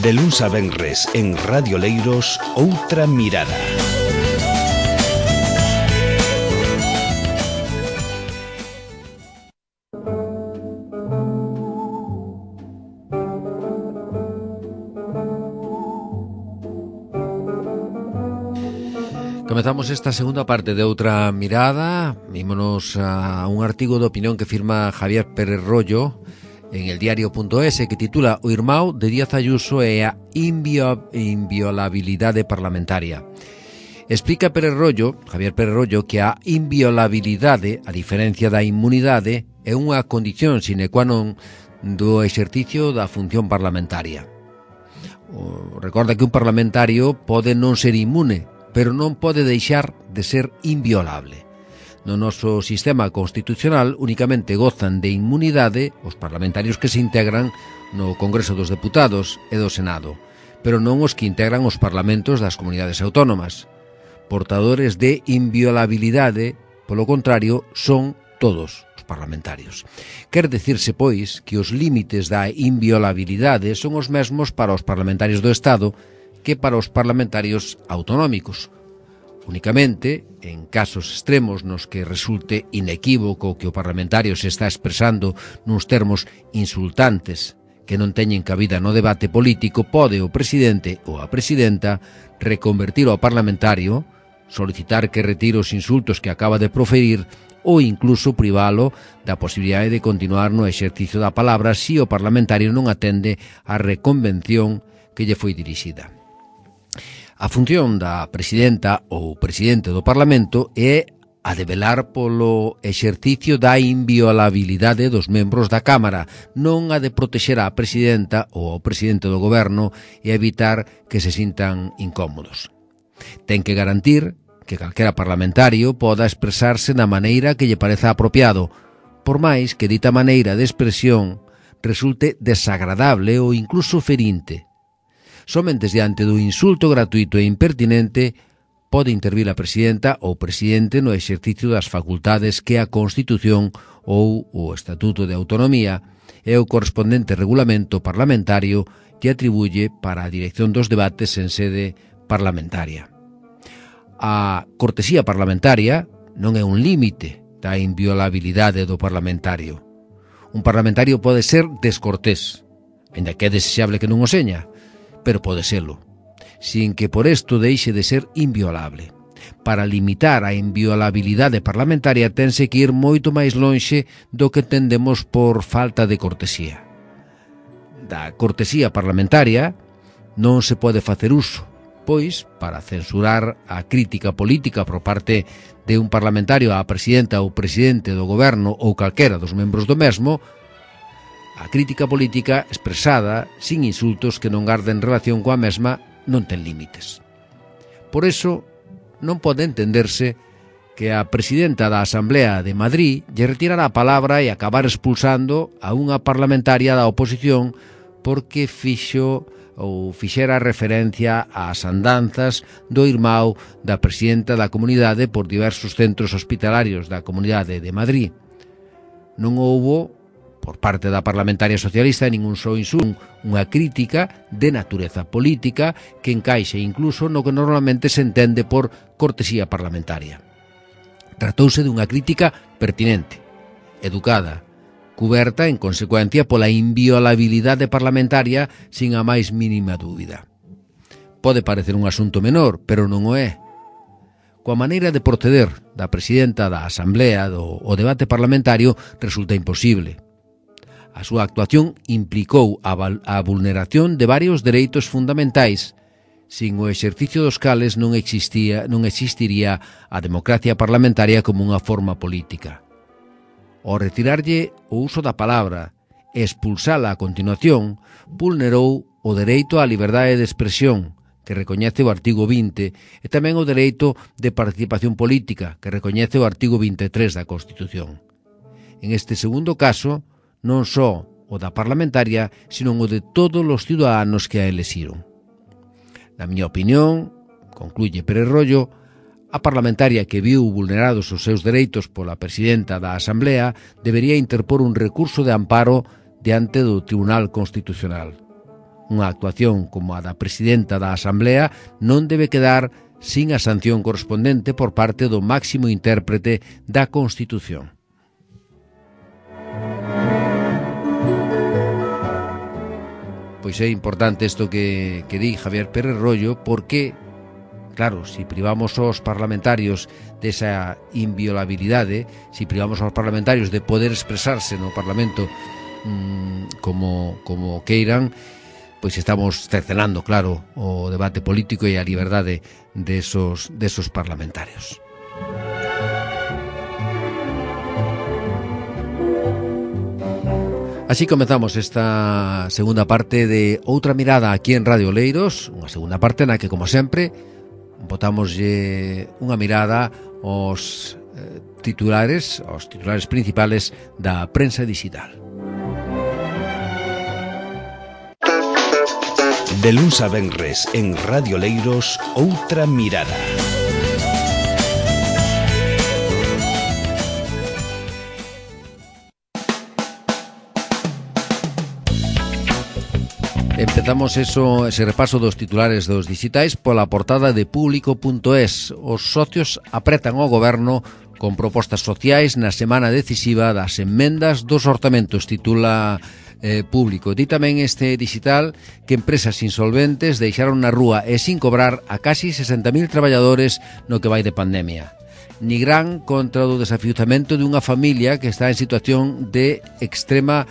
De luns a venres en Radio Leiros, Outra Mirada. Comezamos esta segunda parte de Outra Mirada. Vímonos a un artigo de opinión que firma Javier Pérez Rollo en el diario.es que titula O irmão de Díaz Ayuso e a inviolabilidade parlamentaria. Explica Javier Pérez Rollo, que a inviolabilidade, a diferencia da inmunidade, é unha condición sine qua non do exercicio da función parlamentaria. Recorda que un parlamentario pode non ser inmune, pero non pode deixar de ser inviolable. No noso sistema constitucional únicamente gozan de inmunidade os parlamentarios que se integran no Congreso dos Deputados e do Senado, pero non os que integran os parlamentos das comunidades autónomas. Portadores de inviolabilidade, polo contrario, son todos os parlamentarios. Quer dicirse, pois, que os límites da inviolabilidade son os mesmos para os parlamentarios do Estado que para os parlamentarios autonómicos. Únicamente, en casos extremos nos que resulte inequívoco que o parlamentario se está expresando nuns termos insultantes que non teñen cabida no debate político, pode o presidente ou a presidenta reconvertir ao parlamentario, solicitar que retire os insultos que acaba de proferir ou incluso privalo da posibilidade de continuar no exercicio da palabra se o parlamentario non atende á reconvención que lle foi dirixida. A función da presidenta ou presidente do Parlamento é a de velar polo exercicio da inviolabilidade dos membros da Cámara, non a de protexer a presidenta ou ao presidente do Goberno e evitar que se sintan incómodos. Ten que garantir que calquera parlamentario poda expresarse na maneira que lle pareza apropiado, por máis que dita maneira de expresión resulte desagradable ou incluso ferinte. Somente diante do insulto gratuito e impertinente pode intervir a presidenta ou presidente no exercicio das facultades que a Constitución ou o Estatuto de Autonomía e o correspondente regulamento parlamentario que atribuye para a dirección dos debates en sede parlamentaria. A cortesía parlamentaria non é un límite da inviolabilidade do parlamentario. Un parlamentario pode ser descortés, aínda que é desexable que non o seña, pero pode serlo, sin que por isto deixe de ser inviolable. Para limitar a inviolabilidade parlamentaria tense que ir moito máis lonxe do que entendemos por falta de cortesía. Da cortesía parlamentaria non se pode facer uso, pois, para censurar a crítica política por parte de un parlamentario á presidenta ou presidente do goberno ou calquera dos membros do mesmo, a crítica política expresada sin insultos que non garden relación coa mesma non ten límites. Por iso, non pode entenderse que a presidenta da Asamblea de Madrid lle retirara a palabra e acabar expulsando a unha parlamentaria da oposición porque fixera referencia ás andanzas do irmão da presidenta da comunidade por diversos centros hospitalarios da Comunidade de Madrid. Non houbo por parte da parlamentaria socialista ningún só insulto, unha crítica de natureza política que encaixe incluso no que normalmente se entende por cortesía parlamentaria. Tratouse dunha crítica pertinente, educada, cuberta en consecuencia pola inviolabilidade parlamentaria sin a máis mínima dúbida. Pode parecer un asunto menor, pero non o é. Coa maneira de proceder da presidenta da Asamblea o debate parlamentario resulta imposible. A súa actuación implicou a vulneración de varios dereitos fundamentais, sin o exercicio dos cales non existiría a democracia parlamentaria como unha forma política. Ao retirarlle o uso da palabra e expulsala a continuación, vulnerou o dereito á liberdade de expresión, que recoñece o artigo 20, e tamén o dereito de participación política, que recoñece o artigo 23 da Constitución. En este segundo caso, non só o da parlamentaria, sino o de todos os ciudadanos que a elexiron. Na miña opinión, concluye Pérez Rollo, a parlamentaria que viu vulnerados os seus dereitos pola presidenta da Asamblea debería interpor un recurso de amparo diante do Tribunal Constitucional. unha actuación como a da presidenta da Asamblea non debe quedar sin a sanción correspondente por parte do máximo intérprete da Constitución. Pois é importante isto que di Javier Pérez Royo, porque, claro, se privamos aos parlamentarios desa inviolabilidade, se privamos aos parlamentarios de poder expresarse no Parlamento como queiran, pois estamos cercenando, claro, o debate político e a liberdade desos parlamentarios. Así comezamos esta segunda parte de Outra Mirada aquí en Radio Oleiros, unha segunda parte na que, como sempre, botamoslle unha mirada aos titulares principales da prensa digital. De luns a venres en Radio Oleiros, Outra Mirada. Empezamos ese repaso dos titulares dos digitais pola portada de Público.es. Os socios apretan ao goberno con propostas sociais na semana decisiva das emendas dos orzamentos, titula Público. Di tamén este digital que empresas insolventes deixaron na rúa e sin cobrar a casi 60.000 traballadores no que vai de pandemia. Nigrán contra o desafiuzamento dunha familia que está en situación de extrema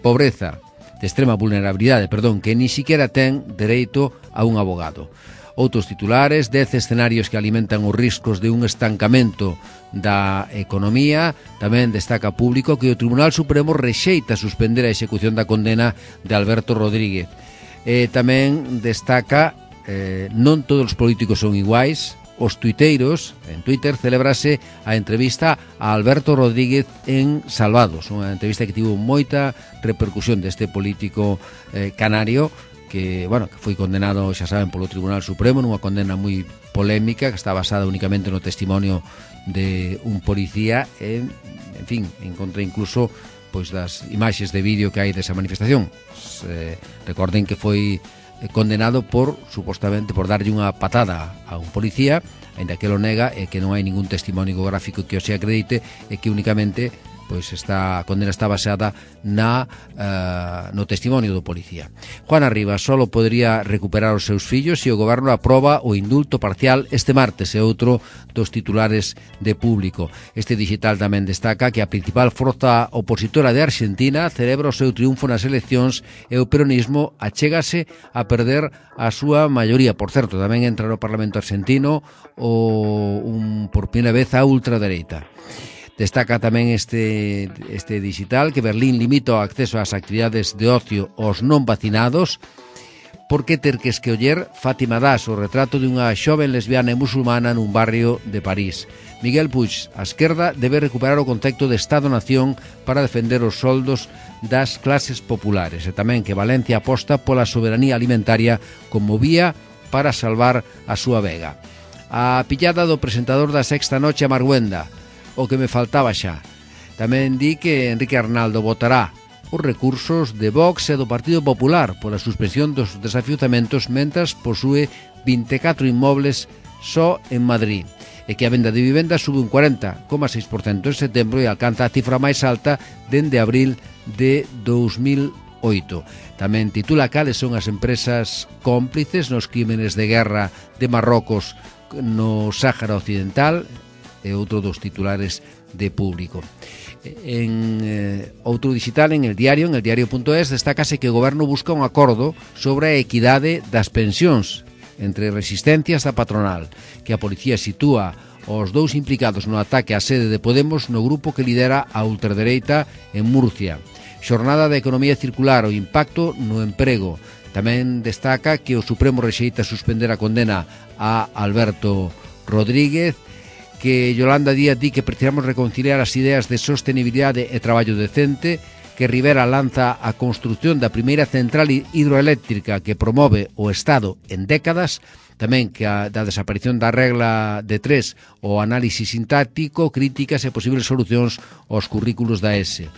pobreza, de extrema vulnerabilidade, que ni siquiera ten dereito a un abogado. Outros titulares, 10 escenarios que alimentan os riscos de un estancamento da economía. Tamén destaca Público que o Tribunal Supremo rexeita suspender a execución da condena de Alberto Rodríguez. Tamén destaca non todos os políticos son iguais. Os tuiteiros, en Twitter, celebrase a entrevista a Alberto Rodríguez en Salvados, unha entrevista que tivo moita repercusión deste político canario que foi condenado, xa saben, polo Tribunal Supremo nunha condena moi polémica que está basada únicamente no testimonio de un policía en fin, en contra incluso pois das imaxes de vídeo que hai desa manifestación. Recorden que foi condenado supostamente por darlle unha patada a un policía, ainda que lo nega e que non hai ningún testimonio gráfico que o se acredite e que únicamente esta condena está basada no testimonio do policía. Juana Rivas solo podería recuperar os seus fillos se o goberno aproba o indulto parcial este martes, e outro dos titulares de Público. Este digital tamén destaca que a principal forza opositora de Argentina celebra o seu triunfo nas eleccións e o peronismo achégase a perder a súa maioría. Por certo, tamén entra no Parlamento argentino por primeira vez a ultradereita. Destaca tamén este digital que Berlín limita o acceso ás actividades de ocio aos non vacinados. Por que ter que escoller Fátima Das, o retrato dunha xoven lesbiana e musulmana nun barrio de París. Miguel Puig, a esquerda debe recuperar o concepto de Estado-nación para defender os soldos das clases populares. E tamén que Valencia aposta pola soberanía alimentaria como vía para salvar a súa vega. A pillada do presentador da Sexta Noche a Marguenda, o que me faltaba xa. Tamén di que Enrique Arnaldo votará os recursos de Vox e do Partido Popular pola suspensión dos desafiuzamentos mentras posúe 24 inmobles só en Madrid, e que a venda de vivendas sube un 40,6% en setembro e alcanza a cifra máis alta dende abril de 2008. Tamén titula cales son as empresas cómplices nos crímenes de guerra de Marrocos no Sáhara Occidental, e outro dos titulares de Público. En outro digital, en el diario.es, destácase que o goberno busca un acordo sobre a equidade das pensións entre resistencias da patronal, que a policía sitúa os dous implicados no ataque á sede de Podemos no grupo que lidera a ultradereita en Murcia. Xornada de Economía Circular, o impacto no emprego. Tamén destaca que o Supremo rexeita suspender a condena a Alberto Rodríguez, que Yolanda Díaz di que precisamos reconciliar as ideas de sostenibilidade e traballo decente, que Rivera lanza a construción da primeira central hidroeléctrica que promove o Estado en décadas. Tamén que da desaparición da regla de 3 o análisis sintáctico, críticas e posibles solucións aos currículos da ESO.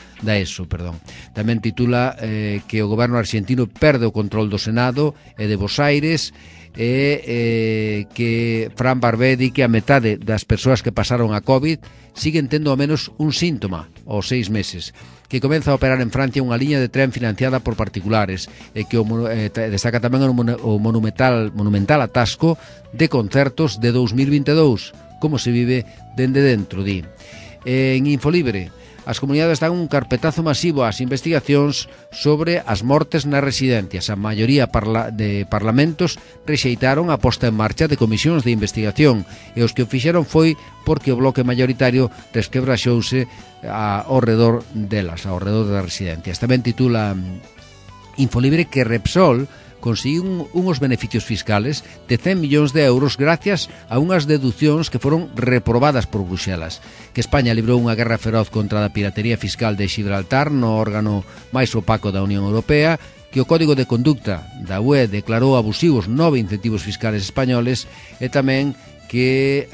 Tamén titula que o goberno argentino perde o control do Senado e de Buenos Aires, e que Fran Barbé di que a metade das persoas que pasaron a COVID siguen tendo ao menos un síntoma aos 6 meses, que comeza a operar en Francia unha liña de tren financiada por particulares, e que destaca tamén o monumental atasco de concertos de 2022, como se vive dende dentro, di. En Infolibre, as comunidades dan un carpetazo masivo ás investigacións sobre as mortes nas residencias. A maioría de parlamentos rexeitaron a posta en marcha de comisións de investigación, e os que o fixeron foi porque o bloque mayoritario resquebraxouse ao redor delas, ao redor das residencias. Tamén titula Infolibre que Repsol conseguiu unhos beneficios fiscales de 100 millóns de euros gracias a unhas deduccións que foron reprobadas por Bruxelas, que España librou unha guerra feroz contra a piratería fiscal de Gibraltar no órgano máis opaco da Unión Europea, que o Código de Conducta da UE declarou abusivos 9 incentivos fiscales españoles, e tamén que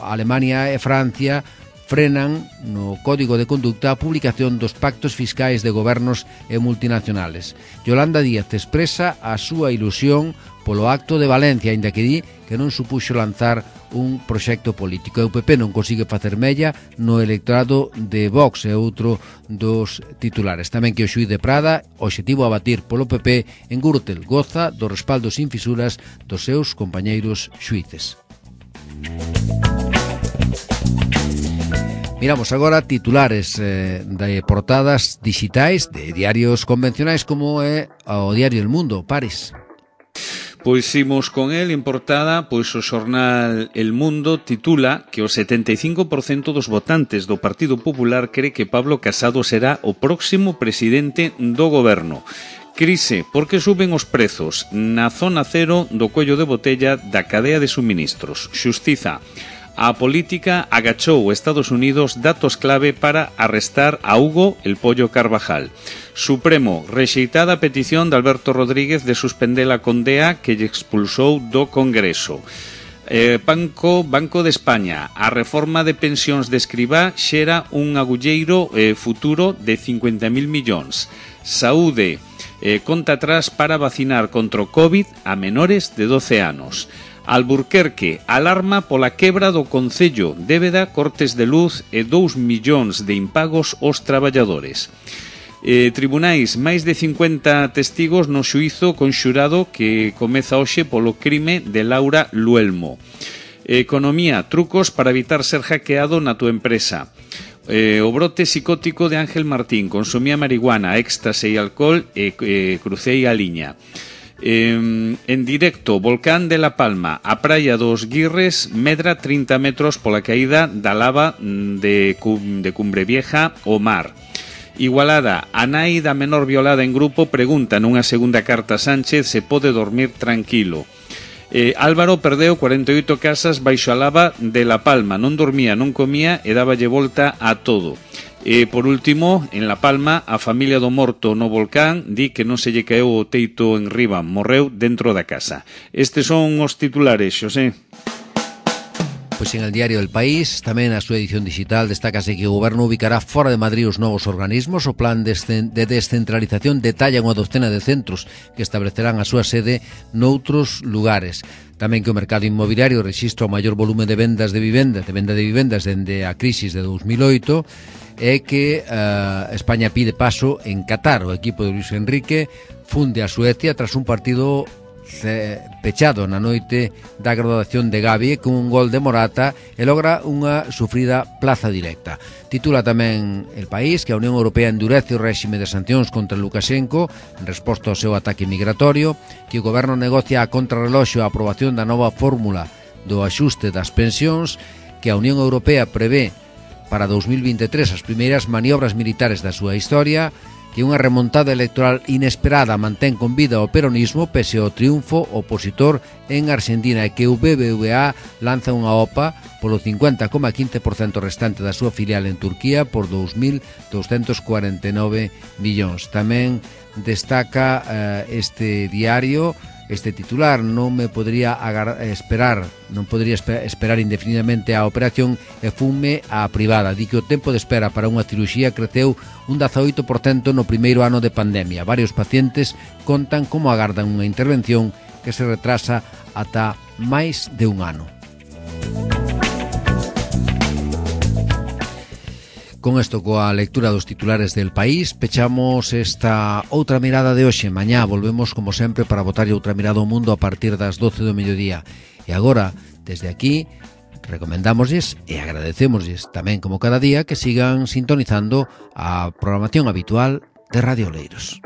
Alemania e Francia frenan no Código de Conducta a publicación dos pactos fiscais de gobernos e multinacionales. Yolanda Díaz expresa a súa ilusión polo acto de Valencia, aínda que di que non supuxo lanzar un proxecto político. E o PP non consigue facer mella no electorado de Vox, é outro dos titulares. Tamén que o xuíz de Prada, obxectivo a batir polo PP en Gürtel, goza do respaldo sin fisuras dos seus compañeiros xuíces. Miramos agora titulares de portadas digitais de diarios convencionais como é o Diario El Mundo. Paris. Pois imos con el en portada, pois o xornal El Mundo titula que o 75% dos votantes do Partido Popular cree que Pablo Casado será o próximo presidente do goberno. Crise porque suben os prezos na zona cero do cuello de botella da cadea de suministros. Xustiza. A política agachou Estados Unidos datos clave para arrestar a Hugo el Pollo Carvajal. Supremo, rexeitada a petición de Alberto Rodríguez de suspender a condea que lle expulsou do Congreso. Banco de España, a reforma de pensións de Escribá xera un agulleiro futuro de 50.000 millóns. Saúde, conta atrás para vacinar contra o COVID a menores de 12 anos. Alburquerque, alarma pola quebra do Concello, débeda, cortes de luz e 2 millóns de impagos aos traballadores. Tribunais, máis de 50 testigos no xuízo conxurado que comeza hoxe polo crime de Laura Luelmo. Economía, trucos para evitar ser hackeado na tua empresa. O brote psicótico de Ángel Martín, consumía marihuana, éxtase e alcohol e crucei a liña. En directo, volcán de La Palma, a praia dos Guirres medra 30 metros pola caída da lava de Cumbre Vieja ao mar. Igualada, a nai da menor violada en grupo pregunta nunha segunda carta a Sánchez se pode dormir tranquilo. Álvaro perdeu 48 casas baixo a lava de La Palma, non dormía, non comía e dáballe volta a todo. E, por último, en La Palma, a familia do morto no volcán di que non se lle caeu o teito en riba, morreu dentro da casa. Estes son os titulares, Xosé. Pois en el diario El País, tamén na súa edición digital, destácase que o goberno ubicará fora de Madrid os novos organismos. O plan de descentralización detalla unha docena de centros que establecerán a súa sede noutros lugares. Tamén que o mercado inmobiliario rexistra o maior volume de vendas de vivendas dende a crisis de 2008, é que España pide paso en Qatar. O equipo de Luis Enrique funde a Suecia tras un partido pechado na noite da graduación de Gavi con un gol de Morata e logra unha sufrida plaza directa. Titula tamén El País que a Unión Europea endurece o réxime de sancións contra Lukashenko en resposta ao seu ataque migratorio, que o goberno negocia a contrarreloxo a aprobación da nova fórmula do axuste das pensións, que a Unión Europea prevé para 2023 as primeiras maniobras militares da súa historia, que unha remontada electoral inesperada mantén con vida o peronismo pese ao triunfo opositor en Argentina, e que o BBVA lanza unha OPA polo 50,15% restante da súa filial en Turquía por 2.249 millóns. Tamén destaca este diario este titular: non podería esperar indefinidamente a operación e fume á privada. Di que o tempo de espera para unha cirurxía creceu un 18% no primeiro ano de pandemia. Varios pacientes contan como agardan unha intervención que se retrasa ata máis de un ano. Con isto, coa lectura dos titulares del País, pechamos esta outra mirada de hoxe. Mañá volvemos, como sempre, para botarlle outra mirada ao mundo a partir das 12 do mediodía. E agora, desde aquí, recomendámoslles e agradecémoslles tamén, como cada día, que sigan sintonizando a programación habitual de Radio Oleiros.